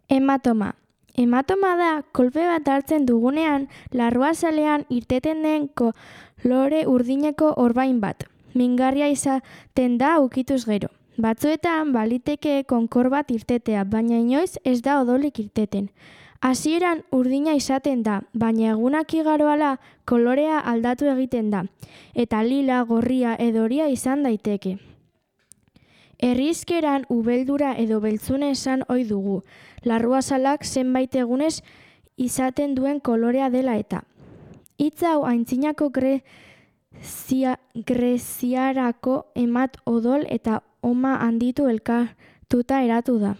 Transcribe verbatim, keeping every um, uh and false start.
Hematoma. Hematoma da, kolpe bat hartzen dugunean, larruazalean irteten den kolore urdineko orbain bat. Mingarria izaten da ukituz gero. Batzuetan baliteke konkor bat irtetea, baina inoiz ez da odolik irteten. Hasieran urdina izaten da, baina egunak igaroala kolorea aldatu egiten da, eta lila, gorria edo horia izan daiteke. Herrizkeran ubeldura edo beltzune esan ohi dugu, larruazalak zenbait egunez izaten duen kolorea dela eta. Hitz hau aintzinako grezia, greziarako emat odol eta oma handitu elkartuta eratu da.